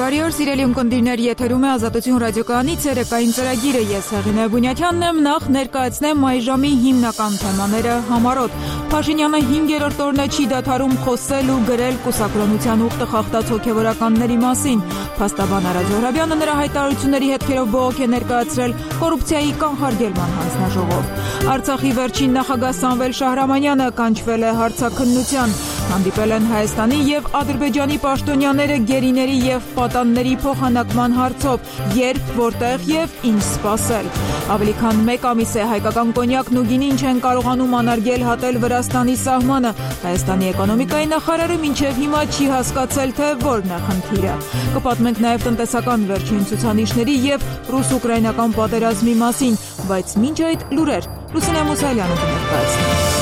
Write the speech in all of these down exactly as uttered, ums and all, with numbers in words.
Բարի օր, սիրելի ունկնդիրներ, եթերում է Ազատություն ռադիոկայանի ցերեկային ծրագիրը։ Ես Հեղինե Բունյաթյանն եմ, նախ ներկայացնեմ այժմի հիմնական թեմաները համառոտ։ Փաշինյանը հինգերորդ օրն է չի դադարում խոսել ու գրել կուսակրոնության ուխտը խախտած հոգևորականների մասին։ Փաստաբան Արա Զոհրաբյանը նրա հայտարարությունների հետքերով բողոք է ներկայացրել կոռուպցիայի կանխարգելման հանձնաժողով։ Արցախի վերջին նախագահ Սամվել Շահրամանյանը կանչվել է հարցաքննության։ Հանդիպել են Հայաստանի և Ադրբեջանի պաշտոնյաները գերիների և պատանների փոխանակման հարցով, երբ, որտեղ և ինչ սպասել։ Ավելի քան մեկ ամիս է հայկական կոնյակն ու գինին չեն կարողանում անարգել հատել Վրաստանի սահմանը։ Հայաստանի էկոնոմիկայի նախարարը մինչև հիմա չի հասկացել, թե որն է խնդիրը։ Կպատմենք նաև տնտեսական վերջին ցուցանիշների և ռուս-ուկրաինական պատերազմի մասին, բայց մինչ այդ լուրեր Լուսինե Մուսալյանը կներկայացնի։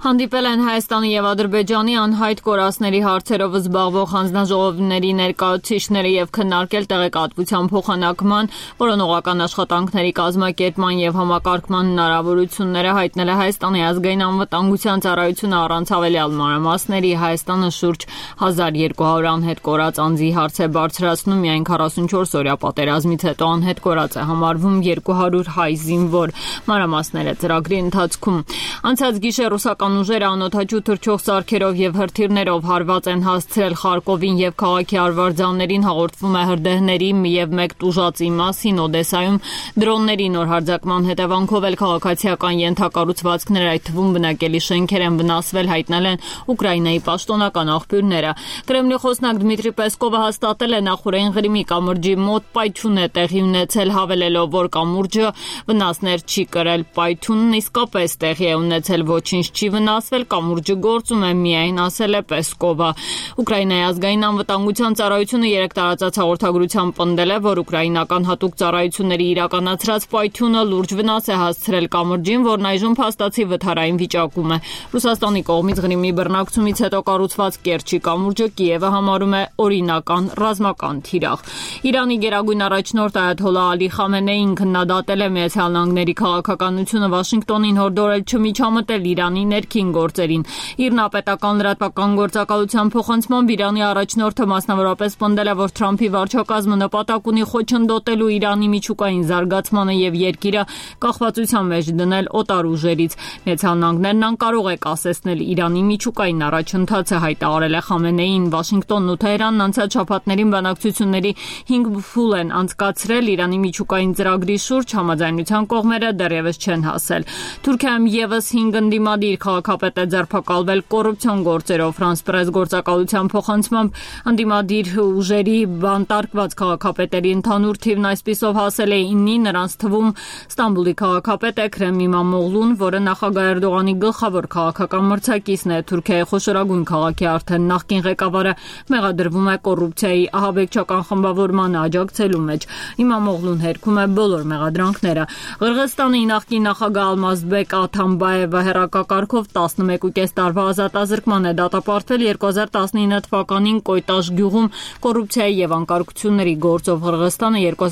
Հանդիպել են Հայաստանի և Ադրբեջանի անհայտ կորածների հարցերով զբաղվող հանձնաժողովների ներկայացուցիչները և քննարկել տեղեկատվության փոխանակման, որոնողական աշխատանքների կազմակերպման և համակարգման հնարավորությունները, հայտնել է Հայաստանի ազգային անվտանգության ծառայությունը առանց հավելյալ մանրամասների։ Հայաստանը շուրջ հազար երկու հարյուր անհետ կորած անձի հարց է բարձրացնում, միայն քառասունչորս օրյա պատերազմից հետո անհետ կորած է համարվում երկու հարյուր հայ զինվոր։ Մանրամասները ծրագրի ընթացքում։ Անցած գիշեր ռուսական ուժերը անօդաչու թռչող սարքերով և հրթիռներով հարված են հասցրել Խարկովին և քաղաքի արվարձաններին, հաղորդվում է հրդեհների և մեկ տուժածի մասին։ Օդեսայում դրոնների նոր հարձակման հետևանքով էլ քաղաքացիական ենթակառուցվածքներ, այդ թվում բնակելի շենքեր են վնասվել, հայտնել են Ուկրաինայի պաշտոնական աղբյուրները։ Կրեմլի խոսնակ Դմիտրի Պեսկովը հաստատել է նախօրեին Ղրիմի կամուրջի մոտ պայթյուն է տեղի ունեցել, հավելելով, որ կամուրջը վնասներ չի կրել։ Պայթյունն իսկապես տեղի է ունեցել, ոչինչ չի վնասվել, կամուրջը գործում է միայն, ասել է Պեսկովը։ Ուկրաինայի ազգային անվտանգության ծառայությունը երեկ տարածած հաղորդագրությամբ պնդել է, որ ուկրաինական հատուկ ծառայությունների իրականացրած պայթյունը լուրջ վնաս է հասցրել կամուրջին, որն այժմ փաստացի վթարային վիճակում է։ Ռուսաստանի կողմից Ղրիմի բռնակցումից հետո կառուցված Կերչի կամուրջը Կիևը համարում է օրինական ռազմական թիրախ։ Իրանի գերագույն առաջնորդ Այաթոլլահ Ալի Խամենեին քննադատել է Միացյալ Նահանգների քաղաքականությունը, Վաշինգտոնին հորդորել չմիջամտել Իրանի ներքին գործերին։ Իր նապետական լրատվական գործակալության փոխանցմամբ Իրանի առաջնորդը մասնավորապես պնդել է, որ Թրամփի վարչակազմը նպատակ ունի խոչընդոտելու Իրանի միջուկային զարգացմանը և երկիրը կախվածության մեջ դնել օտար ուժերից։ Միացյալ Նահանգներն անկարող է կասեցնել Իրանի միջուկային առաջընթացը, հայտարարել է Խամենեին։ Վաշինգտոնն ու Թեհրանն անցած շաբաթներին բանակցությունների հինգ փուլ են անցկացրել Իրանի միջուկային ծրագրի շուրջ, համաձայնության կողմերը դեռևս չեն հասել։ Թուրքիայում ևս հինգ ընդդիմադիր քաղաքապետ է ձերբակալվել կոռուպցիոն գործերով։ Ֆրանս պրես գործակալության փոխանցմամբ ընդդիմադիր ուժերի բանտարկված քաղաքապետերի ընդհանուր թիվն այսպիսով հասել է իննի, նրանց թվում Ստամբուլի քաղաքապետ է Քրեմ Իմամօղլուն, որը նախագահ Էրդողանի գլխավոր քաղաքական մրցակիցն է։ Թուրքիայի խոշորագույն քաղաքի արդեն նախկին ղեկավարը մեղադրվում է կոռուպցիայի ահաբեկչական խմբավորմանը աջակցելու մեջ։ Իմամօղլուն հերքում է բոլոր մեղադրանքները։ Ղրղստանի նախկին նախագահ Ալմազբեկ Աթամբաևը հեռակակարգով տասնմեկուկես տարվա ազատազրկման է դատապարտվել երկու հազար տասնինը թվականին Կոյտաշ գյուղում կոռուպցիայի և անկարգությունների գործով։ Ղրղստանը երկու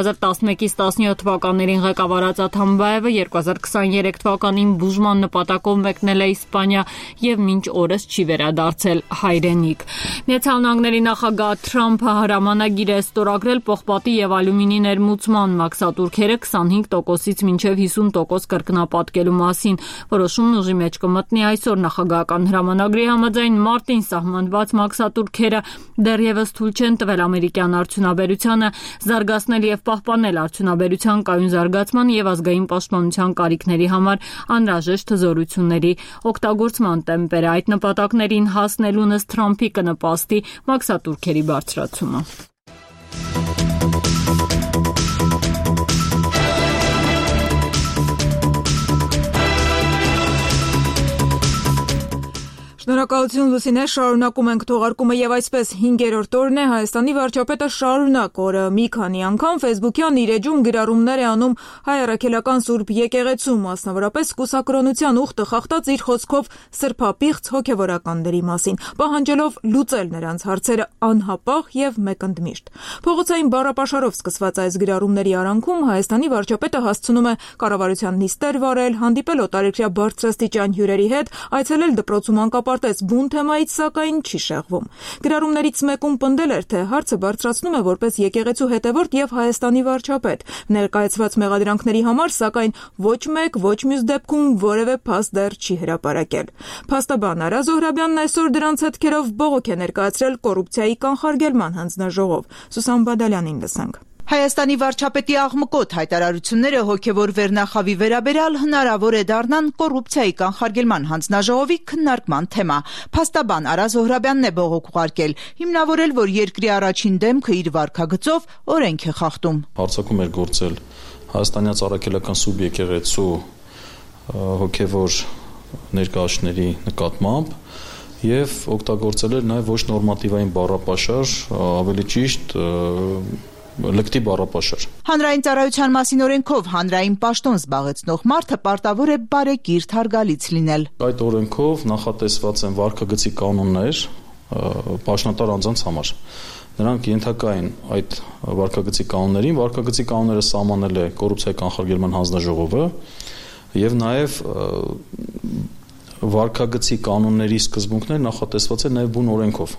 հազար տասնմեկից տասնյոթ թվականներին ղեկավարած Աթամբաևը երկու հազար քսաներեք թվականին բուժման նպատակով մեկնել է Իսպանիա և մինչ օրս չի վերադարձել հայրենիք։ Միացյալ Նահանգների նախագահ Թրամփը հրամանագիր է ստորագրել պողպատի և ալյումինի ներմուծման մաքսատուրքերը քսանհինգ տոկոսից մինչև հիսուն տոկոս կրկնապատկելու մասին։ Որոշումն ուժի մեջ կմտնի այսօր։ Նախագահական հրամանագրի համաձայն մարտին սահմանված մաքսատուրքերը դեռևս թույլ չեն տվել ամերիկյան արդյունաբերությանը զարգացնել և պահպանել արդյունաբերության կայուն զարգացման և ազգային պաշտպանության կարիքների համար անհրաժեշտ հզորությունների օգտագործման տեմպերը։ Այդ նպատակներին հասնելուն ըստ Թրամփի կնպաստի մաքսատուրքերի բարձրացումը։ Շնորհակալություն Լուսինե, շարունակում ենք թողարկումը եւ այսպես հինգերորդ օրն է Հայաստանի վարչապետը շարունակ օրը մի քանի անգամ Facebook-յան իր էջում գրառումներ է անում հայ առաքելական Սուրբ եկեղեցու, մասնավորապես կուսակրոնության ուխտը խախտած իր խոսքով սրբապիղծ հոգևորականների մասին, պահանջելով լուծել նրանց հարցերը անհապաղ եւ մեկընդմիշտ։ Փողոցային բառապաշարով սկսված այս գրառումների արանքում Հայաստանի վարչապետը հասցնում է կառավարության նիստեր վարել, հանդիպել օտարերկրյա բարձրաստիճան հյուրերի հետ, այցելել դպրոցում անկապ հատկապես բուն թեմայից սակայն չի շեղվում։ Գրառումներից մեկում պնդել էր, թե հարցը բարձրացնում է որպես եկեղեցու հետևորդ եւ Հայաստանի վարչապետ։ Ներկայացված մեղադրանքների համար սակայն ոչ մեկ, ոչ մյուս դեպքում որևէ փաստ դեռ չի հրապարակել։ Փաստաբան Արա Զոհրաբյանն այսօր դրանց հետքերով բողոք է ներկայացրել կոռուպցիայի կանխարգելման հանձնաժողով։ Սուսան Բադալյանին լսենք։ Հայաստանի վարչապետի աղմկոտ հայտարարությունները հոգևոր վերնախավի վերաբերյալ հնարավոր է դառնան կոռուպցիայի կանխարգելման հանձնաժողովի քննարկման թեմա։ Փաստաբան Արա Զոհրաբյանն է բողոք ուղարկել, հիմնավորել, որ երկրի առաջին դեմքը իր վարքագծով օրենք է խախտում։ Հարձակում էր գործել հայաստանյան առաքելական սուբյեկեղեցու հոգևոր ներկայացների նկատմամբ եւ օգտագործել էր նաեւ ոչ նորմատիվային բառապաշար, ավելի ճիշտ լկտի բառապաշար։ Հանրային ծառայության մասին օրենքով հանրային պաշտոն զբաղեցնող մարդը պարտավոր է բարեկիրթ հարգալից լինել։ Այդ օրենքով նախատեսված են վարքագծի կանոններ պաշտոնատար անձանց համար։ Նրանք ենթակա են այդ վարքագծի կանոններին, վարքագծի կանոնները սահմանել է կոռուպցիայի կանխարգելման հանձնաժողովը եւ նաեւ վարքագծի կանոնների սկզբունքները նախատեսված են նաեւ բուն օրենքով։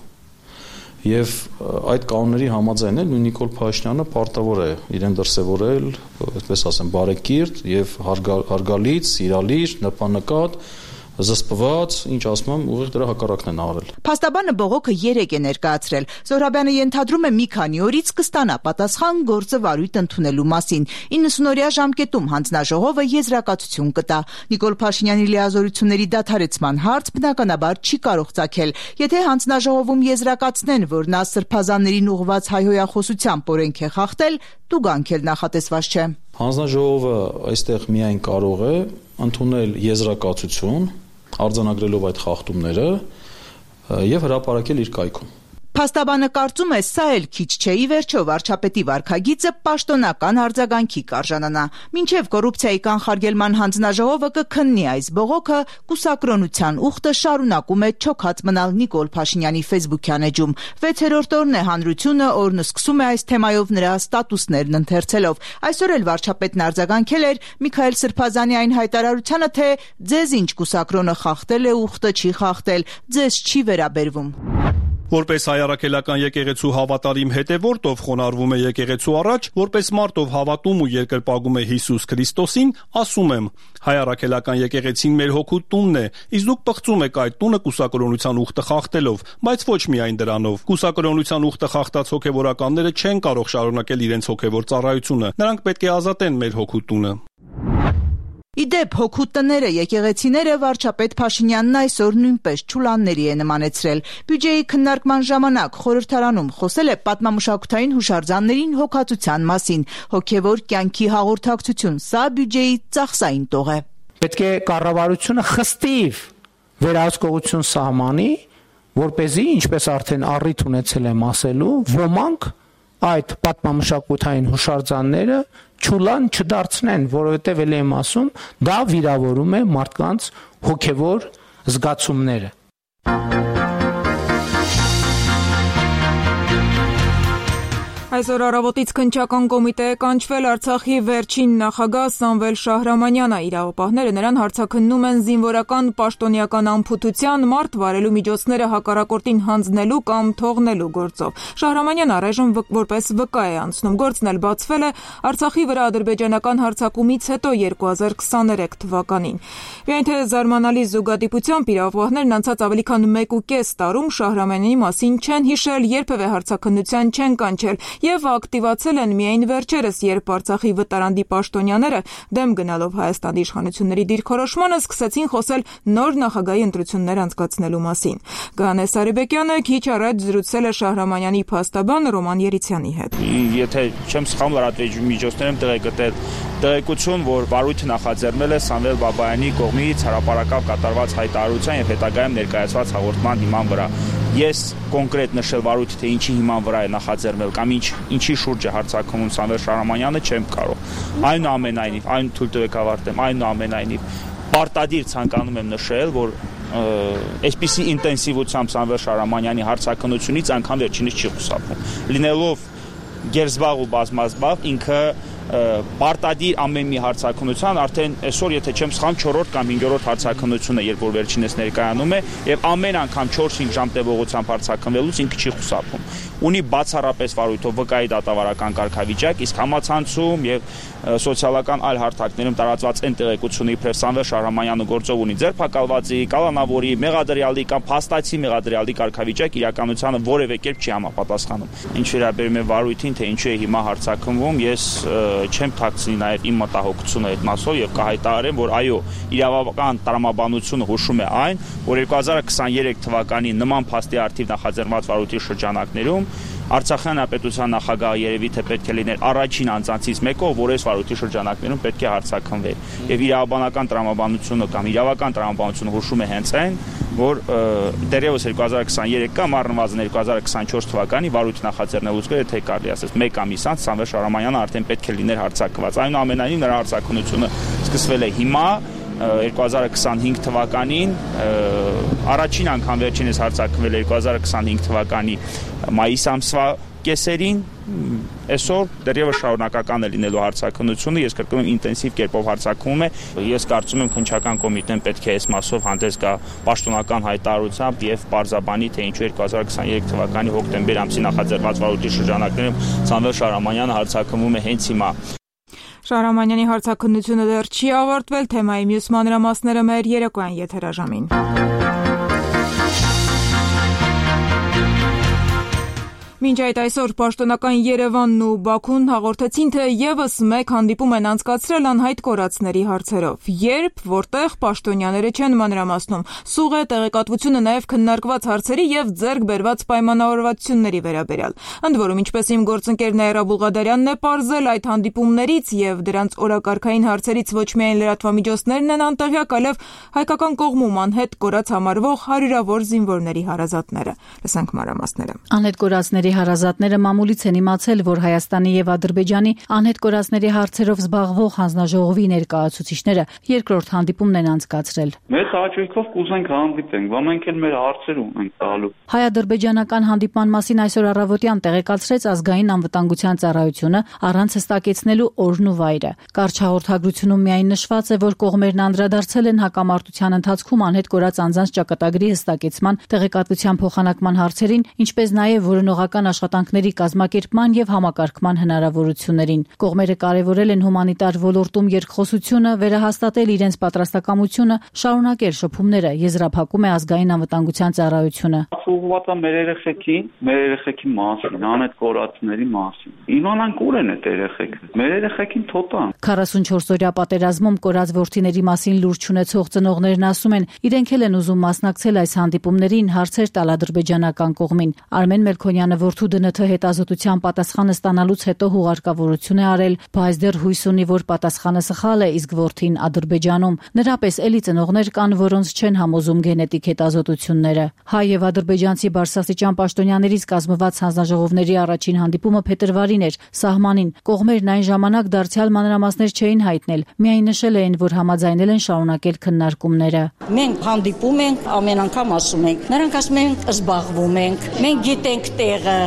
Եվ այդ կանոնների համաձայն էլ Նիկոլ Փաշինյանը պարտավոր է իրեն դրսևորել, այդպես ասեմ, բարեկիրթ եւ հարգալից, սիրալիր, նպանեկատ, զսպված, ինչ ասում եմ, ուղիղ դրա հակառակն են արել։ Փաստաբանը բողոքը երեք է ներկայացրել։ Զոհրաբյանը ենթադրում է մի քանի օրից կստանա պատասխան գործը վարույթ ընդունելու մասին։ իննսունօրյա ժամկետում հանձնաժողովը եզրակացություն կտա։ Նիկոլ Փաշինյանի լիազորությունների դադարեցման հարց բնականաբար չի կարող ծագել։ Եթե հանձնաժողովում եզրակացնեն, որ նա սրբազաններին ուղղված հայհոյախոսությամբ օրենք է խախտել, տուգանք էլ նախատեսված չէ։ Հանձնաժողովը այստեղ միայն կարող է ընդունել եզրակացություն արձանագրելով այդ խախտումները եւ հրապարակել իր կայքում։ Փաստաբանը կարծում է, սա էլ քիչ չէ, ի վերջո վարչապետի վարքագիծը պաշտոնական արձագանքի կարժանանա։ Մինչև կոռուպցիայի կանխարգելման հանձնաժողովը կքննի այս բողոքը, կուսակրոնության ուխտը շարունակում է չոքած մնալ Նիկոլ Փաշինյանի ֆեյսբուքյան էջում։ Վեցերորդ օրն է հանրությունը, օրն սկսում է այս թեմայով նրա ստատուսներն ընթերցելով։ Այսօր էլ վարչապետն արձագանքել էր Միքայել Սրբազանի այն հայտարարությանը, թե ձեզ ինչ կուսակրոնը խախտել է, ուխտը չի խախտել, ձեզ չի վերաբերվում։ Որպես հայ առաքելական եկեղեցու հավատարիմ հետևորդ, ով խոնարհվում է եկեղեցու առաջ, որպես մարդ, ով հավատում ու երկրպագում է Հիսուս Քրիստոսին, ասում եմ. հայ առաքելական եկեղեցին մեր հոգու տունն է, իսկ դուք պղծում եք այդ տունը կուսակրոնության ուխտը խախտելով, բայց ոչ միայն դրանով։ Կուսակրոնության ուխտը խախտած հոգևորականները չեն կարող շարունակել իրենց հոգևոր ծառայությունը։ Նրանք պետք է ազատեն մեր հոգու տունը։ Իդեպ հոգու տները, եկեղեցիները վարչապետ Փաշինյանն այսօր նույնպես չուլանների է նմանեցրել։ Բյուջեի քննարկման ժամանակ խորհրդարանում խոսել է պատմամշակութային հուշարձաններին հոգացության մասին։ Հոգևոր կյանքի հաղորդակցություն, սա բյուջեի ծախսային տող է։ Պետք է կառավարությունը խստիվ վերահսկողություն սահմանի, որպեսզի, ինչպես արդեն առիթ ունեցել եմ ասելու, ոմանք այդ պատմամշակութային հուշարձանները չուլան չդարձնեն, որովհետև ելի եմ ասում, դա վիրավորում է մարդկանց հոգևոր զգացումները։ Այսօր առավոտից քննչական կոմիտե է կանչվել Արցախի վերջին նախագահ Սամվել Շահրամանյանը։ Իրավապահները նրան հարցաքննում են զինվորական պաշտոնյական անփութության, մարդ վարելու միջոցները հակառակորդին հանձնելու կամ թողնելու գործով։ Շահրամանյանը առայժմ որպես վկա է անցնում։ Գործն էլ բացվել է Արցախի վրա ադրբեջանական հարձակումից հետո երկու հազար քսաներեք թվականին։ Միայն թե զարմանալի զուգադիպությամբ իրավապահներն անցած ավելի քան մեկ ու կես տարում Շահրամանյանի մասին չեն հիշել, երբևէ հարցաքննության չեն կանչել եւ ակտիվացել են միայն վերջերս, երբ Արցախի վտարանդի պաշտոնյաները դեմ գնալով Հայաստանի իշխանությունների դիրքորոշմանը սկսեցին խոսել նոր նախագահի ընտրություններ անցկացնելու մասին։ Գանե Սարիբեկյանը քիչ առաջ զրուցել է Շահրամանյանի փաստաբան Ռոման Երիցյանի հետ։ Եթե չեմ սխալվում, լրատվամիջոցներում միջոցներում տեղեկատել տեղեկություն, որ վարույթը նախաձեռնել է Սամվել Բաբայանի կողմից հրապարակավ կատարված հայտարարության եւ հետագայում ներկայացված հաղորդման հիման վրա։ Ես կոնկրետ նշել վարույթը, թե ինչի հիման վրա է նախաձեռնել կամ ինչ ինչի շուրջ է հարցակցում Սամվել Շահրամանյանը, չեմ կարող։ Այնուամենայնիվ, այն թույլ տվեք ավարտեմ, այնուամենայնիվ պարտադիր ցանկանում եմ նշել, որ այսպիսի ինտենսիվությամբ Սամվել Շահրամանյանի հարցակցությունից անգամ վերջինս չի խուսափում։ Լինելով գերզբաղ ու բազմազբաղ, ինքը պարտադիր ամեն մի հարցաքննության արդեն այսօր եթե չեմ սխալվում չորրորդ կամ հինգերորդ հարցաքննությունը երբ որ վերջինս ներկայանում է եւ ամեն անգամ չորս-հինգ ժամ տևողությամբ հարցաքննվելուց ինքը չի խուսափում ունի բացառապես վարույթով վկայի դատավարական կարգավիճակ իսկ համացանցում եւ սոցիալական այլ հարթակներում տարածված այն տեղեկությունների իբրև Սամվել Շահրամանյանը գործով ունի ձերբակալվածի, կալանավորի, մեղադրյալի կամ փաստացի մեղադրյալի կարգավիճակ իրականությանը որևէ կերպ չի համապատասխանում։ Ինչ վերաբերում է վարույթին, թե ինչու է հիմա հարցաքննվում, ես չեմ թաքցնի նաև իմ մտահոգությունը այդ մասով եւ կհայտարարեմ, որ այո, իրավական տրամաբանությունը հուշում է այն, որ երկու հազար քսաներեք թվականի նման փաստի արդիվ նախաձեռնված վարույթի շրջանակներում Արցախյան հանրապետության նախագահը երևի թե պետք է լիներ առաջին անձանցից մեկը, որ այս վարույթի շրջանակներում պետք է հարցաքննվեր։ Եվ իրավաբանական տրամաբանությունը կամ իրավական տրամաբանությունը հուշում է հենց այն, որ դեռևս երկու հազար քսաներեք կամ առնվազն երկու հազար քսանչորս թվականի վարույթ նախաձեռնելուց գրեթե թե կարելի ասես մեկ ամիս անց Սամվել Շահրամանյանը արդեն պետք է լիներ հարցաքննված։ Այնուամենայնիվ նրա հարցաքննությունը սկսվել է հիմա երկու հազար քսանհինգ թվականին առաջին անգամ վերջինս հարցաքննվել երկու հազար քսանհինգ թվականի մայիս ամսվա կեսերին այսօր դեռևս շարունակական է լինելու հարցաքննությունը ես կրկնում եմ ինտենսիվ կերպով հարցաքննում է ես կարծում եմ քննչական կոմիտեն պետք է այս մասով հանդես գա պաշտոնական հայտարարությամբ եւ պարզաբանի թե ինչու երկու հազար քսաներեք թվականի հոկտեմբեր ամսի նախաձեռնված վարույթի շրջանակներում Սամվել Շահրամանյանը հարցաքննվում է հենց հիմա Շահրամանյանի հարցաքննությունը դեռ չի ավարտվել, թեմայի մյուս մանրամասները մեր երեկոյան եթերաժամին։ Մինչ այդ այսօր պաշտոնական Երևանն ու Բաքուն հաղորդեցին, թե եւս մեկ հանդիպում են անցկացրել անհայտ կորածների հարցերով։ Երբ, որտեղ պաշտոնյաները չեն մանրամասնում, սուղ է տեղեկատվությունը նաեւ քննարկված հարցերի եւ ձեռք բերված պայմանավորվածությունների վերաբերյալ։ Ընդ որում, ինչպես իմ գործընկեր Նաիրա Բուլղադարյանն է պարզել, այդ հանդիպումներից եւ դրանց օրակարգային հարցերից ոչ միայն լրատվամիջոցներն են անտեղյակ, այլև հայկական կողմում անհետ կորած համարվող հարյուրավոր զինվորների հարազատները։ Լսենք մանրամասները։ Անհետ կորածների հարազատները մամուլից են իմացել, որ Հայաստանի եւ Ադրբեջանի անհետ կորածների հարցերով զբաղվող հանձնաժողովի ներկայացուցիչները երկրորդ հանդիպումն են անցկացրել։ Մեծ հաճույքով կուզենք հանդիպենք, բա մենք էլ մեր հարցեր ունենք տալու։ Հայ-ադրբեջանական հանդիպման մասին այսօր առավոտյան տեղեկացրեց ազգային անվտանգության ծառայությունը առանց հստակեցնելու օրն ու վայրը։ Կարճ հաղորդագրությունում միայն նշված է, որ կողմերն անդրադարձել են հակամարտության ընթացքում անհետ կորած անձանց ճակատագրի հստակեցման, տեղեկատվության փոխանակման հարցերին, ինչպես նաեւ որոնողական աշխատանքների կազմակերպման եւ համակարգման հնարավորություններին։ Կողմերը կարևորել են հումանիտար ոլորտում երկխոսությունը, վերահաստատել իրենց պատրաստակամությունը, շարունակել շփումները, եզրափակում է ազգային անվտանգության ծառայությունը։ Ուղղված է մեր երեխեքին, մեր երեխեքի մասին, անհետ կորածների մասին։ Իմանանք ուր են այդ երեխեքը։ Մեր երեխեքին թոտան։ քառասունչորս օրյա պատերազմում կորած որդիների մասին լուրջ ունեցող ծնողներն ասում են, իրենք էլ են ուզում մասնակցել այս հանդիպումներին, հարցեր տալ ադրբեջանական կողմին։ Արմեն Մելքոնյանը որդու դը ՆԹ հետազոտության պատասխանը ստանալուց հետո հուղարկավորություն է արել, բայց դեռ հույս ունի, որ պատասխանը սխալ է, իսկ որդին Ադրբեջանում։ Նրա պես էլի ծնողներ կան, որոնց չեն համոզում գենետիկ հետազոտությունները։ Հայ եւ ադրբեջանցի բարձրաստիճան պաշտոնյաներից կազմված հանձնաժողովների առաջին հանդիպումը փետրվարին էր, սահմանին։ Կողմերն այն ժամանակ դարձյալ մանրամասներ չէին հայտնել, միայն նշել էին, որ համաձայնել են շարունակել քննարկումները։ Մենք հանդիպում ենք, ամեն անգամ ասում ենք, նրանք ասում են զբաղվում ենք, մենք գիտենք տեղը,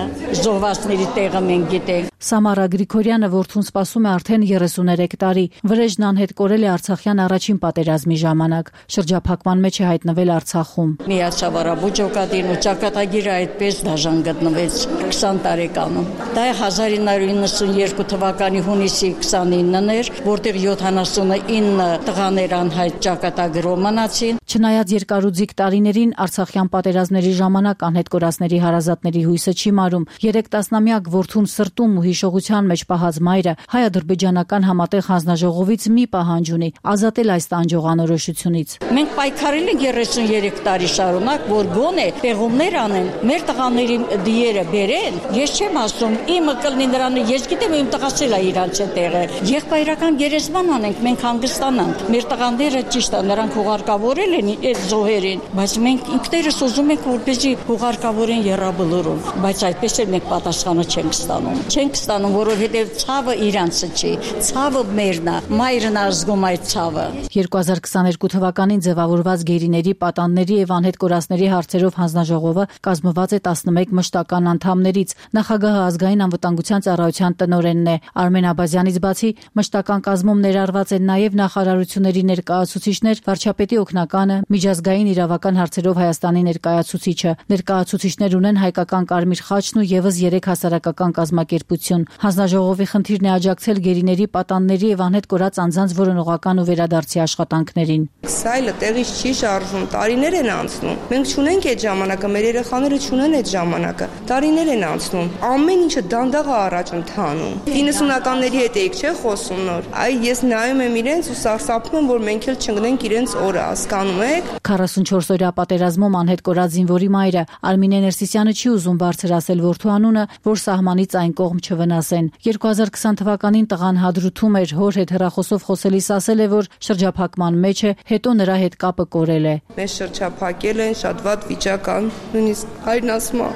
զոհվածների տեղը մենք գիտենք։ Սամարա Գրիգորյանը որդուն սպասում է արդեն երեսուներեք տարի։ Վրեժն անհետ կորել է Արցախյան առաջին պատերազմի ժամանակ։ Շրջափակման մեջ է հայտնվել Արցախում։ Միացավ Արաբուջ օկադին ու ճակատագիրը այդպես դաժան գտնվեց քսան տարեկանում։ Դա հազար ինը հարյուր իննսունյերկու թվականի հունիսի քսանինն էր, որտեղ յոթանասունինը տղաներ անհայտ ճակատագրով մնացին։ Չնայած երկարուձիգ տարիներին Արցախյան պատերազմների ժամանակ անհետ կորածների հարազատների հույսը չի մարում։ Երեք տասնամյակ որդուն սրտում ու հիշողության մեջ պահած մայրը հայ-ադրբեջանական համատեղ հանձնաժողովից մի պահանջ ունի՝ ազատել այս տանջող անորոշությունից։ Մենք պայքարել ենք երեսունյերեք տարի շարունակ, որ գոնե պեղումներ անեն, մեր տղաների դիերը բերեն։ Ես չեմ ասում, իմը կլինի նրանը, ես գիտեմ իմ տղացել է իրանց տեղը։ Եղբայրական գերեզման անենք, մենք հանգստանանք։ Մեր տղաները ճիշտ է, նրանք հուղարկավորել են այդ զոհերին, բայց մենք ինքներս ուզում ենք, որպեսզի հուղարկավորեն եռաբլուրում, բայց այդպես էլ մենք պատասխանը չենք ստանում։ Չենք չեք ստանում, որովհետև ցավը իրանցը չի, ցավը մերն է, մայրն ազգում այդ ցավը։ երկու հազար քսաներկու թվականին ձևավորված գերիների, պատանների եւ անհետ կորածների հարցերով հանձնաժողովը կազմված է տասնմեկ մշտական անդամներից։ Նախագահը ազգային անվտանգության ծառայության տնօրենն է։ Արմեն Աբազյանից բացի մշտական կազմում ներառված են նաեւ նախարարությունների ներկայացուցիչներ, վարչապետի օգնականը, միջազգային իրավական հարցերով Հայաստանի ներկայացուցիչը։ Ներկայացուցիչներ ունեն Հայկական Կարմիր խաչն ու եւս երեք հասարակական կազմակերպություն։ Հանձնաժողովի խնդիրն է աջակցել գերիների, պատանների եւ անհետ կորած անձանց որոնողական ու վերադարձի աշխատանքներին։ Սայլը տեղից չի շարժվում, տարիներ են անցնում։ Մենք չունենք այդ ժամանակը, մեր երեխաները չունեն այդ ժամանակը։ Տարիներ են անցնում։ Ամեն ինչը դանդաղ է առաջ ընթանում։ իննսունականների հետ եք չէ խոսում նոր։ Այ ես նայում եմ իրենց ու սարսափում եմ, որ մենք էլ չընկնենք իրենց օրը, հասկանում եք։ քառասունչորս օրյա պատերազմում անհետ կորած զինվորի մայրը Արմինե Ներսիսյանը չի ուզում բարձրացնել որդու անունը, որ սահմանից այն կողմ չվնասեն։ երկու հազար քսան թվականին տղան հադրութում էր, հոր հետ հեռախոսով խոսելիս ասել է, որ շրջափակման մեջ է, հետո նրա հետ կապը կորել է։ Մեզ շրջափակել են, շատ վատ վիճակ կան, նույնիսկ հայրն ասում է,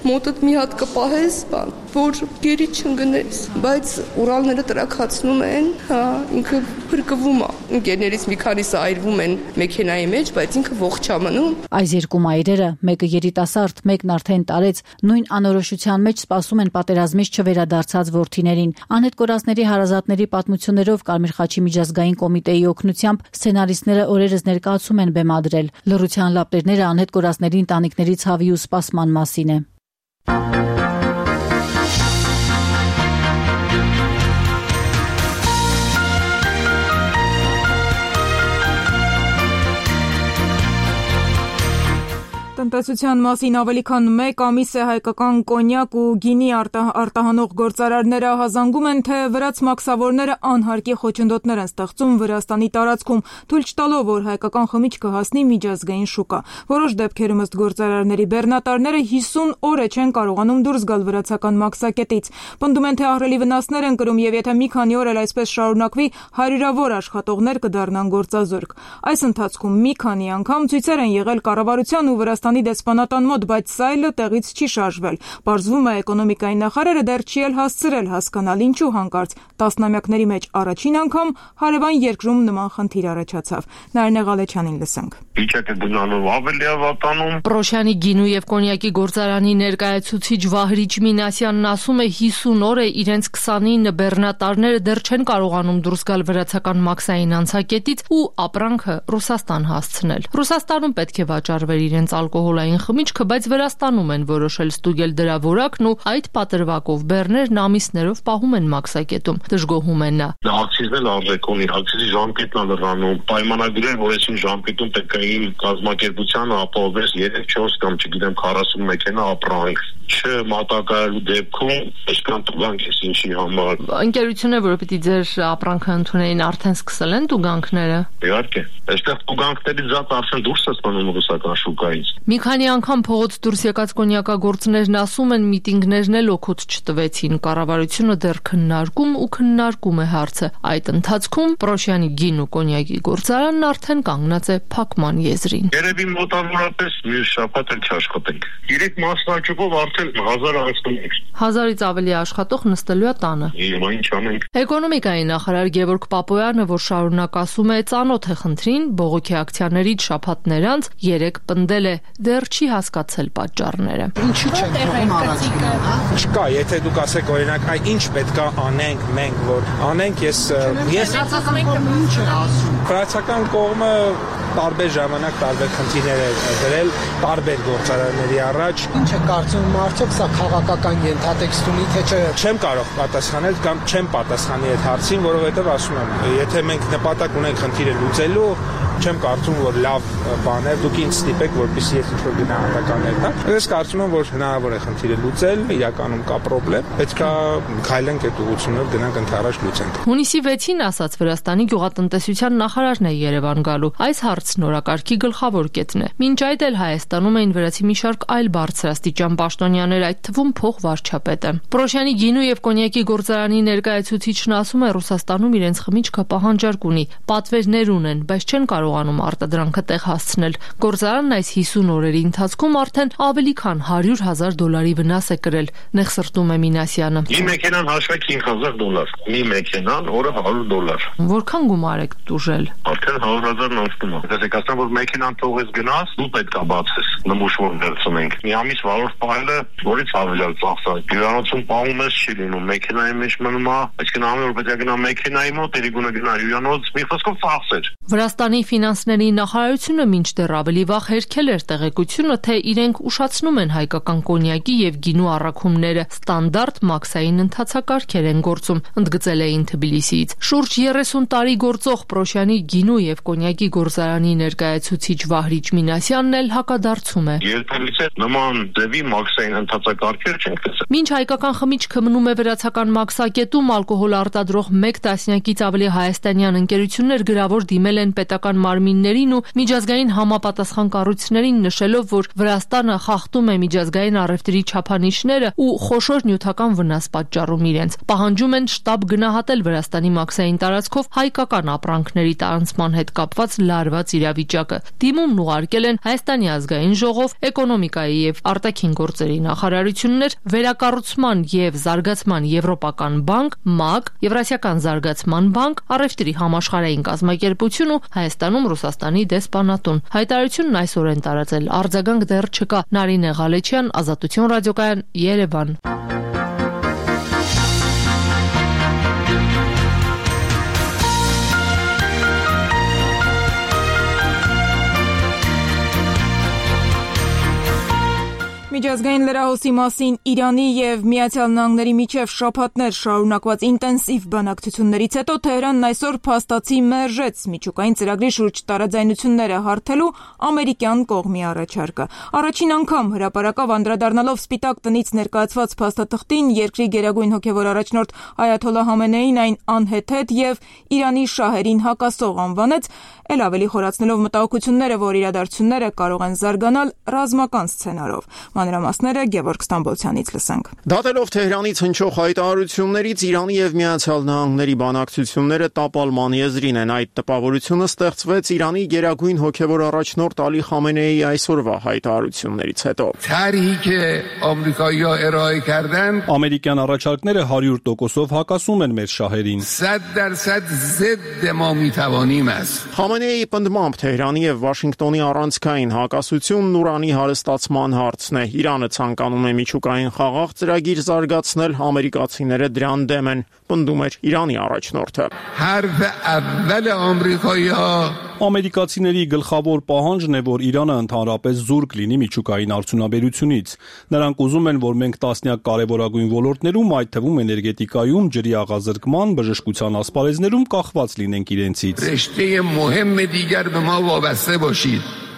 մոտդ մի հատ կպահես, բան, որ գերի չընկնես, բայց ուրալները տրաքացնում են, հա, ինքը փրկվում է։ Ընկերներից մի քանիսը այրվում են մեքենայի մեջ, բայց ինքը ողջ է մնում։ Այս երկու մայրերը, մեկը երիտասարդ, մեկն արդեն տարեց, նույն անորոշության մեջ սպասում են պատերազմից չվերադարձած որդիներին։ Անհետ կորածների հարազատների պատմություններով Կարմիր խաչի միջազգային կոմիտեի օգնությամբ սցենարիստները օրերս ներկայացում են բեմադրել։ Լռության լապտերները անհետ կորածների ընտանիքների ցավի ու սպասման մասին է։ Տնտեսության մասին ավելի քան մեկ ամիս է հայկական կոնյակ ու գինի արտահանող գործարարները հազանգում են, թե վրաց մաքսավորները անհարկի խոչընդոտներ են ստեղծում Վրաստանի տարածքում, թույլ չտալով, որ հայկական խմիչքը հասնի միջազգային շուկա։ Որոշ դեպքերում ըստ գործարարների բեռնատարները հիսուն օր է չեն կարողանում դուրս գալ վրացական մաքսակետից։ Պնդում են, թե ահռելի վնասներ են կրում եւ եթե մի քանի օր էլ այսպես շարունակվի, հարյուրավոր աշխատողներ կդառնան գործազուրկ։ Այս ընթացքում մի քանի անգամ ցույցեր են եղել կառավարության ու Վրաստանի դեսպանատան մոտ, բայց սա էլ տեղից չի շարժվել։ Պարզվում է էկոնոմիկայի նախարարը դեռ չի էլ հասցրել հասկանալ ինչու հանկարծ տասնամյակների մեջ առաջին անգամ հարևան երկրում նման խնդիր առաջացավ։ Նարինե Ղալեչյանին լսենք։ Վիճակը գնալով ավելի է վատանում։ Պրոշյանի գինու եւ կոնյակի գործարանի ներկայացուցիչ Վահրիչ Մինասյանն ասում է հիսուն օր է իրենց քսանինը բեռնատարները դեռ չեն կարողանում դուրս գալ վրացական մաքսային անցակետից ու ապրանքը Ռուսաստան հասցնել։ Ռուսաստանում պետք է վաճառվեր իրենց ալկոհոլային խմիչքը, բայց Վրաստանում են որոշել ստուգել դրա որակն ու այդ պատրվակով բեռներն ամիսներով պահում են մաքսակետում։ Դժգոհում են նա։ Ակցիզն էլ արժեք ունի, ակցիզի ժամկետն է լրանում, պայմանագրեր, որ այսին ժամկետում պետք է իմ կազմակերպությանը ապահովես երեք չորս կամ չգիտեմ քառասուն մեքենա ապրանք, չմատակարարելու դեպքում այսքան տուգանք է ինչի համար։ Ընկերությունը, որ պիտի ձեր ապրանքը ընդունեին, արդեն սկսել են տուգանքները։ Իհարկե, այստեղ տուգանքներից զատ արդեն դուրս է ստանում ռուսական շուկայից։ Մի քանի անգամ փողոց դուրս եկած կոնյակագործներն ասում են միտինգներն էլ օգուտ չտվեցին, կառավարությունը դեռ քննարկում ու քննարկում է հարցը։ Այդ ընթացքում Պրոշյանի գին ու կոնյակի գործարանն արդեն կանգնած է փակման եզրին։ Երևի մոտավորապես մյուս շաբաթ էլ չաշխատենք։ Երեք մասնաճյուղով արդեն հազար անցնենք։ Հազարից ավելի աշխատող նստելու է տանը։ Հիմա ինչ անենք։ Էկոնոմիկայի նախարար Գևորգ Պապոյանը, որ շարունակ ասում է ծանոթ է խնդրին, բողոքի ակցիաներից շաբաթներ անց երեք պնդել է դեռ չի հասկացել պատճառները։ Ինչի՞ չեն թողում առաջինը, հա? Չկա, եթե դուք ասեք օրինակ, այ ինչ պետքա անենք մենք, որ անենք, ես ես ինչ է ասում։ Վրացական կողմը տարբեր ժամանակ տարբեր խնդիրներ է դրել տարբեր գործարանների առաջ։ Ինչ է կարծում արդյոք սա քաղաքական ենթատեքստ ունի, թե չէ։ Չեմ կարող պատասխանել կամ չեմ պատասխանի այդ հարցին, որովհետև ասում եմ, եթե մենք նպատակ ունենք խնդիրը լուծելու, չեմ կարծում, որ լավ բան է, դուք ինձ ստիպեք, որպեսզի ես ինչ-որ գնահատականներ տամ։ Ես կարծում եմ, որ հնարավոր է խնդիրը լուծել, իրականում կա խնդրեմ, պետք է քայլենք այդ ուղղությունով գնանք ընդառաջ լուծենք։ Հունիսի վեցին ասաց Վրաստանի գյուղատնտեսության նախարարն է Երևան գալու։ Այս հարցը հարցն օրակարգի գլխավոր կետն է։ Մինչ այդ էլ Հայաստանում էին վրացի մի շարք այլ բարձրաստիճան պաշտոնյաներ, այդ թվում փոխվարչապետը։ Պրոշյանի գինու եւ կոնյակի գործարանի ներկայացուցիչն ասում է, Ռուսաստանում իրենց խմիչքը պահանջարկ ունի, պատվերներ ունեն, բայց չեն կարողանում արտադրանքը տեղ հասցնել։ Գործարանն այս հիսուն օրերի ընթացքում արդեն ավելի քան հարյուր հազար դոլարի վնաս է կրել, նեղսրտում է Մինասյանը։ Մի մեքենան հաշվեք հինգ հազար դոլար, մի մեքենան օրը հարյուր դոլար։ Որքան գումար եք տուժել։ Արդեն հարյուր հազարն անցնում է։ Դες ասեմ, որ մեքենան թողես գնաս, դու պետք է բացես, նմուշ որ վերցնենք։ Մի ամիս վարորդ պահելը որից ավելյալ ծախսա։ Հյուրանոցում պահում ես չի լինում, մեքենայի մեջ մնում է, այսինքն ամեն օր պետք է գնա մեքենայի մոտ, երիկունը գնա հյուրանոց, մի խոսքով ծախսեր։ Վրաստանի ֆինանսների նախարարությունը մինչդեռ ավելի վաղ հերքել էր տեղեկությունը, թե իրենք ուշացնում են հայկական կոնյակի եւ գինու առաքումները, ստանդարտ մաքսային ընթացակարգեր են գործում, ընդգծել էին Թբիլիսիից։ Շուրջ երեսուն տարի գործող Պրոշյանի գինու եւ կոնյակի գործարանի ներկայացուցիչ Վահրիչ Մինասյանն էլ հակադարձում է։ Երբևիցե նման ձևի մաքսային ընթացակարգեր չենք տեսել։ Մինչ հայկական խմիչքը մնում է վրացական մաքսակետում, ալկոհոլ արտադրող մեկ տասնյակից ավելի հայաստանյան ընկերություններ գրավոր դիմել են պետական մարմիններին ու միջազգային համապատասխան կառույցներին, նշելով, որ Վրաստանը խախտում է միջազգային առևտրի չափանիշները ու խոշոր նյութական վնաս պատճառում իրենց։ Պահանջում են շտաբ գնահատել Վրաստանի մաքսային տարածքով հայկական ապրանքների տարանցման հետ կապված լարված իրավիճակը։ Դիմումն ուղարկել են Հայաստանի ազգային ժողով, էկոնոմիկայի եւ արտաքին գործերի նախարարություններ, վերակառուցման եւ զարգացման եվրոպական բանկ, ՄԱԿ, Եվրասիական զարգացման բանկ, առևտրի համաշխարհային կազմակերպություն ու Հայաստանում Ռուսաստանի դեսպանատուն։ Հայտարարությունն այսօր են տարածել, արձագանք դեռ չկա։ Նարինե Ղալեչյան, Ազատություն ռադիոկայան, Երևան։ Միջազգային լրահոսի մասին Իրանի եւ Միացյալ Նահանգների միջև շաբաթներ շարունակված ինտենսիվ բանակցություններից հետո Թեհրանն այսօր փաստացի մերժեց միջուկային ծրագրի շուրջ տարաձայնությունները հարթելու ամերիկյան կողմի առաջարկը։ Առաջին անգամ հրապարակավ անդրադառնալով Սպիտակ տնից ներկայացված փաստաթղթին, երկրի գերագույն հոգևոր առաջնորդ Այաթոլլահ Խամենեին այն անհեթեթ եւ Իրանի շահերին հակասող անվանեց, ել ավելի խորացնելով մտահոգությունները, որ իրադարձությունները կարող են զարգանալ ռազմական սցենարով։ Մանրամասները Գևորգ Ստամբոլցյանից լսենք։ Դատելով Թեհրանից հնչող հայտարարություններից Իրանի եւ Միացյալ Նահանգների բանակցությունները տապալման եզրին են։ Այդ տպավորությունը ստեղծվեց Իրանի գերագույն հոգևոր առաջնորդ Ալի Խամենեիի այսօրվա հայտարարություններից հետո։ Ամերիկյան առաջարկները հարյուր տոկոսով հակասում են մեր շահերին։ Խամենեիի պնդմամբ Թեհրանի եւ Վաշինգտոնի առանցքային հակասությունն ուրանի հարստացման հարցն է։ Իրանը ցանկանում է միջուկային խաղաղ ծրագիր զարգացնել, ամերիկացիները դրան դեմ են, պնդում էր Իրանի առաջնորդը։ Ամերիկացիների գլխավոր պահանջն է, որ Իրանը ընդհանրապես զուրկ լինի միջուկային արդյունաբերությունից։ Նրանք ուզում են, որ մենք տասնյակ կարևորագույն ոլորտներում, այդ թվում էներգետիկայում, ջրի աղազրկման, բժշկության ասպարեզներում կախված լինենք իրենցից։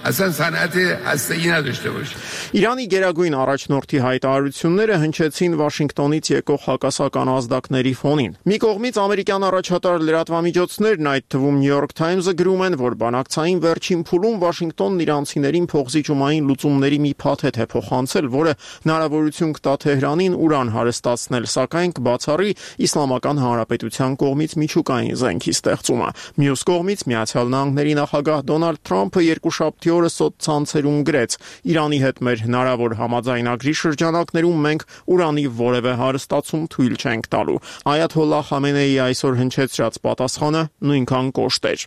اصلا صنعت هسته‌ای نداشته باشه. Իրանի գերագույն առաջնորդի հայտարարությունները հնչեցին Վաշինգտոնից եկող հակասական ազդակների ֆոնին։ Մի կողմից ամերիկյան առաջատար լրատվամիջոցներն, այդ թվում New York Times-ը գրում են, որ բանակցային վերջին փուլում Վաշինգտոնն իրանցիներին փոխզիջումային լուծումների մի փաթեթ է փոխանցել, որը հնարավորություն կտա Թեհրանին ուրան հարստացնել, սակայն կբացառի Իսլամական Հանրապետության կողմից միջուկային զենքի ստեղծումը։ Մյուս կողմից Միացյալ Նահանգների նախագահ Դոնալդ Թրամփը երկուշաբթի օրը սոցցանցերում գրեց. Իրանի հետ մեր հնարավոր համաձայնագրի շրջանակներում մենք ուրանի որևէ հարստացում թույլ չենք տալու։ Այաթոլլահ Խամենեիի այսօր հնչեցրած պատասխանը նույնքան կոշտ էր։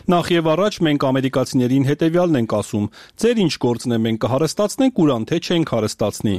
Նախ եւ առաջ մենք ամերիկացիներին հետեւյալն ենք ասում. ձեր ինչ գործն է, մենք կհարստացնենք ուրան, թե չենք հարստացնի։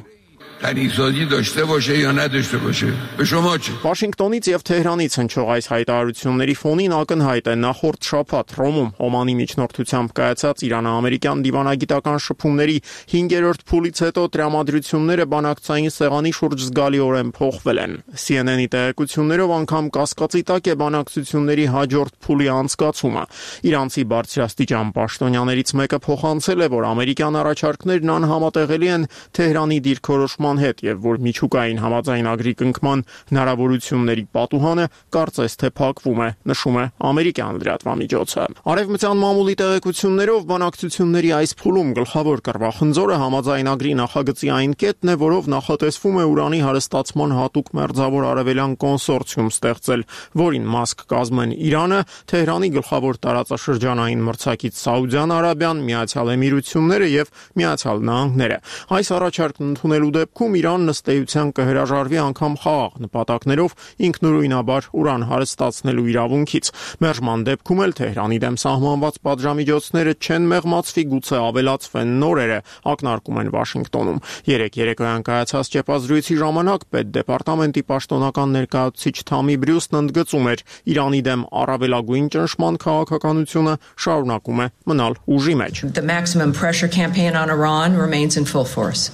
Վաշինգտոնից եւ Թեհրանից հնչող այս հայտարարությունների ֆոնին ակնհայտ է նախորդ շաբաթ Ռոմում Օմանի միջնորդությամբ կայացած Իրано-ամերիկյան դիվանագիտական շփումների հինգերորդ փուլից հետո տրամադրությունները բանակցային սեղանի շուրջ զգալիորեն փոխվել են։ C N N-ի տեղեկություններով անգամ կասկածի տակ է բանակցությունների հաջորդ փուլի անցկացումը։ Իրանցի բարձրաստիճան պաշտոնյաներից մեկը փոխանցել է, որ ամերիկյան առաջարկներն անհամատեղելի են Թեհրանի դիրքորոշ որոշման հետ եւ որ միջուկային համաձայնագրի կնքման հնարավորությունների պատուհանը կարծես թե փակվում է, նշում է ամերիկյան լրատվամիջոցը։ Արևմտյան մամուլի տեղեկություններով բանակցությունների այս փուլում գլխավոր կռվախնձորը համաձայնագրի նախագծի այն կետն է, որով նախատեսվում է ուրանի հարստացման հատուկ մերձավոր արևելյան կոնսորցիում ստեղծել, որին մաս կկազմեն Իրանը, Թեհրանի գլխավոր տարածաշրջանային մրցակից Սաուդյան Արաբիան, Միացյալ Էմիրությունները եւ Միացյալ Նահանգները։ Այս առաջարկն ընդունելու դեպքում Իրանն ըստ էության կհրաժարվի անգամ խաղաղ նպատակներով ինքնուրույնաբար ուրան հարստացնելու իրավունքից։ Մերժման դեպքում էլ Թեհրանի դեմ սահմանված պատժամիջոցները չեն մեղմացվի, գուցե ավելացվեն նորերը, ակնարկում են Վաշինգտոնում։ Երեկ երեկոյան կայացած ճեպազրույցի ժամանակ Պետդեպարտամենտի պաշտոնական ներկայացուցիչ Թամի Բրյուսն ընդգծում էր Իրանի դեմ առավելագույն ճնշման քաղաքականությունը շարունակում է մնալ ուժի մեջ։ The maximum pressure campaign on Iran remains in full force.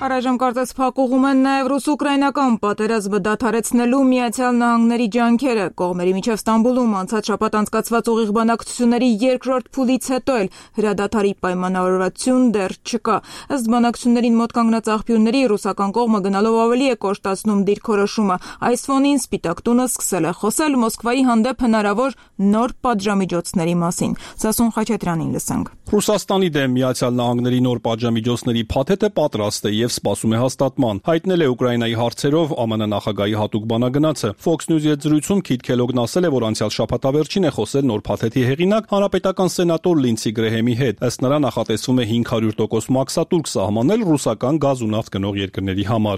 Առայժմ կարծես փակուղում են նաև ռուս-ուկրաինական պատերազմը դադարեցնելու Միացյալ Նահանգների ջանքերը։ Կողմերի միջև Ստամբուլում անցած շաբաթ անցկացված ուղիղ բանակցությունների երկրորդ փուլից հետո էլ հրադադարի պայմանավորվածություն դեռ չկա։ Ըստ բանակցություններին մոտ կանգնած աղբյուրների ռուսական կողմը գնալով ավելի է կոշտացնում դիրքորոշումը։ Այս ֆոնին Սպիտակ տունը սկսել է խոսել Մոսկվայի հանդեպ հնարավոր նոր պատժամիջոցների մասին։ Սասուն Խաչատրյանին լսենք։ Ռուսաստանի դեմ Միացյալ Նահանգների նոր պատժամիջոցների փաթեթը պատրաստ է եւ սպասում է հաստատման։ Հայտնել է Ուկրաինայի հարցերով ԱՄՆ նախագահի հատուկ բանագնացը։ Fox News-ի հետ զրույցում Քիթ Քելոգն ասել է, որ անցյալ շաբաթավերջին է խոսել նոր փաթեթի հեղինակ հանրապետական սենատոր Լինսի Գրեհեմի հետ։ Ըստ նրա նախատեսվում է հինգ հարյուր տոկոս մաքսատուրք սահմանել ռուսական գազ ու նավթ գնող երկրների համար։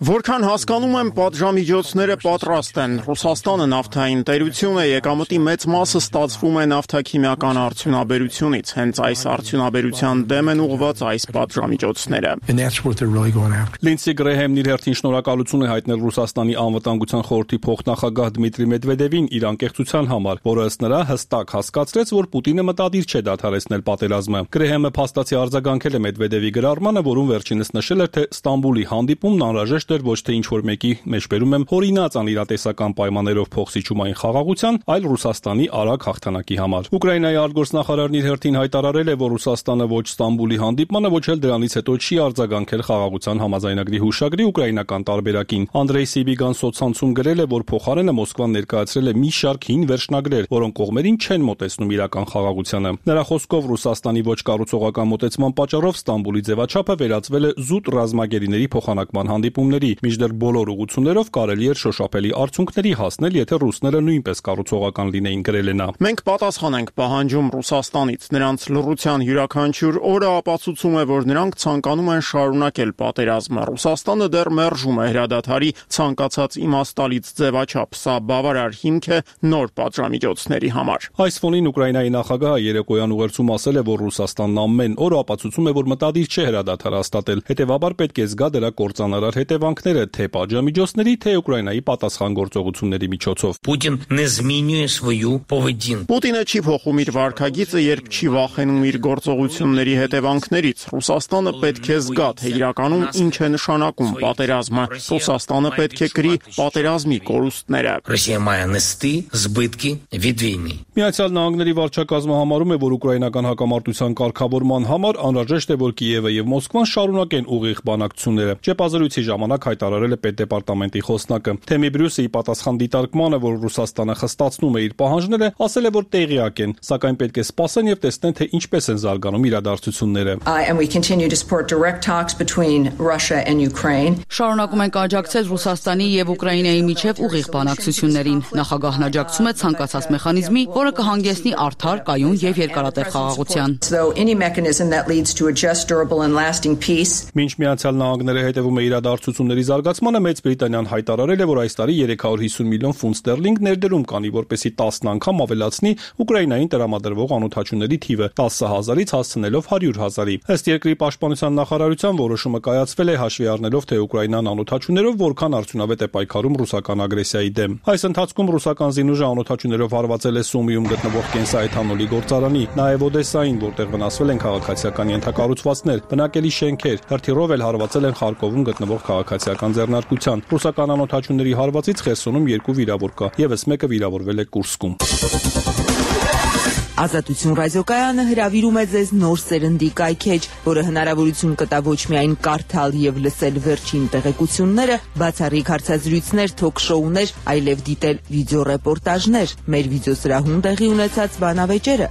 Որքան հասկանում եմ, պատժամիջոցները պատրաստ են։ Ռուսաստանը նավթային տերություն է, եկամտի մեծ մասը ստացվում է նավթաքիմիական արդյունաբերությունից։ Հենց այս արդյունաբերության դեմ են ուղղված այս պատժամիջոցները։ Լինսի Գրեհեմն իր հերթին շնորհակալություն է հայտնել Ռուսաստանի անվտանգության խորհրդի փոխնախագահ Դմիտրի Մեդվեդևին իր անկեղծության համար, որը ըստ նրա հստակ հասկացրեց, որ Պուտինը մտադիր չէ դադարեցնել պատերազմը։ Գրեհեմը փաստացի արձագանքել է Մեդվեդևի գրառմանը, որում վերջինս նշել էր, թե Ստամբուլի հանդիպումն անհրաժեշտ էր ոչ թե ինչ-որ մեկի մեջբերում եմ հորինած անիրատեսական պայմաններով փոխսիջումային խաղաղության, այլ Ռուսաստանի արագ հաղթանակի համար։ Ուկրաինայի արտգործնախարարն իր հերթին հայտարարել է, որ Ռուսաստանը ոչ Ստամբուլի հանդիպմանը, ոչ էլ դրանից հետո չի արձագանքել խաղաղության համաձայնագրի հուշագրի ուկրաինական տարբերակին։ Անդրեյ Սիբիգան սոցցանցում գրել է, որ փոխարենը Մոսկվան ներկայացրել է մի շարք հին վերջնագրեր, որոնք կողմերին չեն մոտեցնում իրական խաղաղությանը։ Նրա խոսքով Ռուսաստանի ոչ կառուցողական մոտեցման պատճառով Ստամբուլի ձևաչափը վերածվել է զուտ ռազմագերիների փոխանակման հանդիպումների, մինչդեռ բոլոր ուղղություններով կարելի էր շոշափելի արդյունքների հասնել, եթե ռուսները նույնպես կառուցողական լինեին, գրել է նա։ Մենք պատասխան ենք պահանջում Ռուսաստանից։ Նրանց լռության յուրաքանչյուր օրը ապացուցում է, որ նրանք ցանկանում են շարունակել պատերազմը։ Ռուսաստանը դեռ մերժում է հրադադարի ցանկացած իմաստալից ձևաչափ։ Սա բավարար հիմք է նոր պատժամիջոցների համար։ Այս ֆոնին Ուկրաինայի նախագահը երեկոյան ուղերձում ասել է, որ Ռուսաստանն ամեն օր ապացուցում է, որ մտադիր չէ հրադադար հաստատել։ Հետևաբար պետք է զգա դրա կործանարար հետևանքները թե պատժամիջոցների, թե Ուկրաինայի պատասխան գործողությունների միջոցով։ Պուտին не змінює свою поведінку։ Պուտինը չի փոխում իր վարքագիծը, երբ չի վախենում իր գործողությունների հետևանքներից։ Ռուսաստանը պետք է զգա, թե իրականում ինչ է նշանակում պատերազմը։ Ռուսաստանը պետք է կրի պատերազմի կորուստները։ Ռոսիա մає нести збитки від війни։ Միացյալ Նահանգների վարչակազմը համարում է, որ ուկրաինական հակամարտության կարգավորման համար անհրաժեշտ է, որ Կիևը եւ Մոսկվան շարունակեն ուղիղ բանակցությունները։ Ճեպազրույցի ժամանակ հայտարարել է Պետդեպարտամենտի խոսնակը։ Թեմի Բրյուսը ի պատասխան դիտարկմանը, որ Ռուսաստանը խստացնում է իր պահանջները, ասել է, որ տեղյակ են, սակայն պետք է սպասեն եւ տեսնեն, թե ինչպես են զարգանում իրադարձությունները։ Շարունակում ենք աջակցել Ռուսաստանի եւ Ուկրաինայի միջև ուղիղ բանակցություններին։ Նախագահն աջակցում է ցանկացած մեխանիզմի, որը կհանգեցնի արդար, կայուն եւ երկարատև խաղաղության։ Մինչ Միացյալ Նահանգները հետևում է իրադարձությունների զարգացմանը, Մեծ Բրիտանիան հայտարարել է, որ այս տարի երեք հարյուր հիսուն միլիոն ֆունտ ստերլինգ ներդրում կանի, որպեսզի տասն անգամ ավելացնի Ուկրաինային տրամադրվող անօդաչուների թիվը տասը հազարից հասցնել հասնելով հարյուր հազարի։ Ըստ երկրի պաշտպանության նախարարության որոշումը կայացվել է հաշվի առնելով, թե Ուկրաինան անօթաչուներով որքան արդյունավետ է պայքարում ռուսական ագրեսիայի դեմ։ Այս ընթացքում ռուսական զինուժը անօթաչուներով հարվածել է Սումիում գտնվող կենսաէթանոլի գործարանի, նաև Օդեսային, որտեղ վնասվել են քաղաքացիական ենթակառուցվածքներ, բնակելի շենքեր, հրթիռով էլ հարվածել են Խարկովում գտնվող քաղաքացիական ձեռնարկության։ Ռուսական անօթաչուների հարվածից Խերսոնում երկու վիրավոր կա, եւս մեկը վիրավորվել է Կուրսկում։ Ազատություն ռադիոկայանը հրավիրում է ձեզ նոր սերնդի կայքեջ, որը հնարավորություն կտա ոչ միայն կարդալ եւ լսել վերջին տեղեկությունները, բացառիկ հարցազրույցներ, թոք-շոուներ, այլև դիտել վիդեոռեպորտաժներ, մեր վիդեոսրահում տեղի ունեցած բանավեճերը,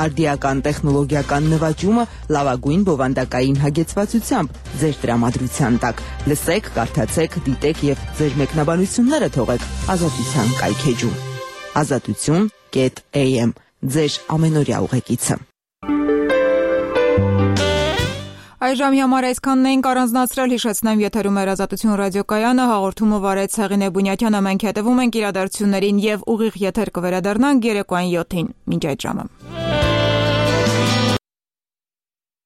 արդիական տեխնոլոգիական նվաճումը լավագույն բովանդակային հագեցվածությամբ ձեր տրամադրության տակ։ Լսեք, կարդացեք, դիտեք եւ ձեր մեկնաբանությունները թողեք Ազատության կայքեջում։ Ազատություն am ձեր ամենօրյա ուղեկիցը։ Այժմ համար այսքանն էինք առանձնացրել, հիշեցնեմ, եթերում էր Ազատություն ռադիոկայանը, հաղորդումը վարեց Հեղինե Բունյաթյանը, մենք հետևում ենք իրադարձություններին եւ ուղիղ եթեր կվերադառնանք երեկոյան յոթին։ Մինչ այդ ժամը։